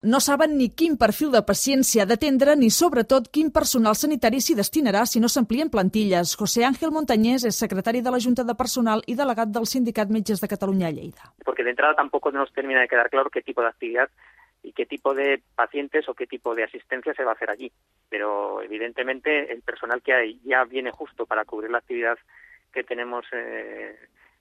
No saben ni quin perfil de pacient s'hi ha d'atendre ni, sobretot, quin personal sanitari s'hi destinarà si no s'amplien plantilles. José Ángel Montañés és secretari de la Junta de Personal y delegat del Sindicat Metges de Catalunya a Lleida. Porque de entrada tampoco nos termina de quedar claro qué tipo de actividad y qué tipo de pacientes o qué tipo de asistencia se va a hacer allí. Pero evidentemente el personal que hay ya viene justo para cubrir la actividad que tenemos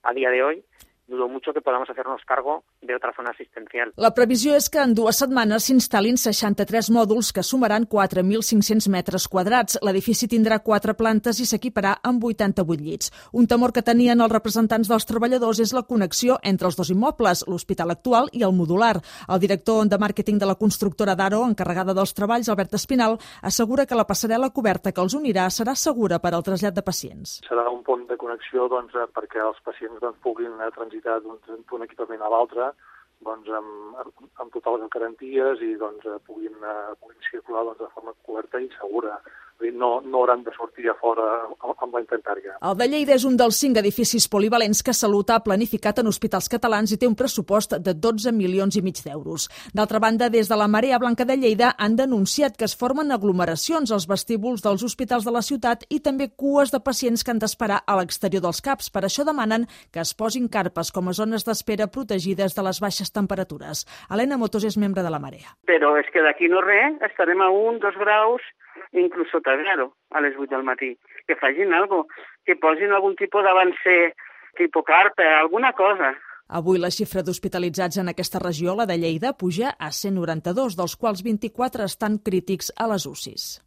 a día de hoy. Dudo mucho que podamos hacernos cargo de otra zona asistencial. La previsió és que en 2 setmanes s'instal·lin 63 mòduls que sumaran 4.500 metres quadrats. L'edifici tindrà 4 plantes i s'equiparà amb 88 llits. Un temor que tenien els representants dels treballadors és la connexió entre els dos immobles, l'hospital actual i el modular. El director de màrqueting de la constructora d'Aro, encarregada dels treballs, Albert Espinal, assegura que la passarel·la coberta que els unirà serà segura per al trasllat de pacients. Serà un pont de connexió perquè els pacients puguin transitar d'un equipament a l'altre amb totals garanties i puguin circular de forma coberta i segura. No hauran de sortir a fora amb la inventària. El de Lleida és un dels 5 edificis polivalents que Salut ha planificat en hospitals catalans i té un pressupost de 12,5 milions d'euros. D'altra banda, des de la Marea Blanca de Lleida han denunciat que es formen aglomeracions als vestíbuls dels hospitals de la ciutat i també cues de pacients que han d'esperar a l'exterior dels CAPs. Per això demanen que es posin carpes com a zones d'espera protegides de les baixes temperatures. Helena Motos és membre de la Marea. Però és que d'aquí no res, estarem a 1, 2 graus, inclús sota zero a les 8 del matí. Que facin alguna cosa, que posin algun tipus d'avancer, tipus carpa, alguna cosa. Avui la xifra d'hospitalitzats en aquesta regió, la de Lleida, puja a 192, dels quals 24 estan crítics a les UCIs.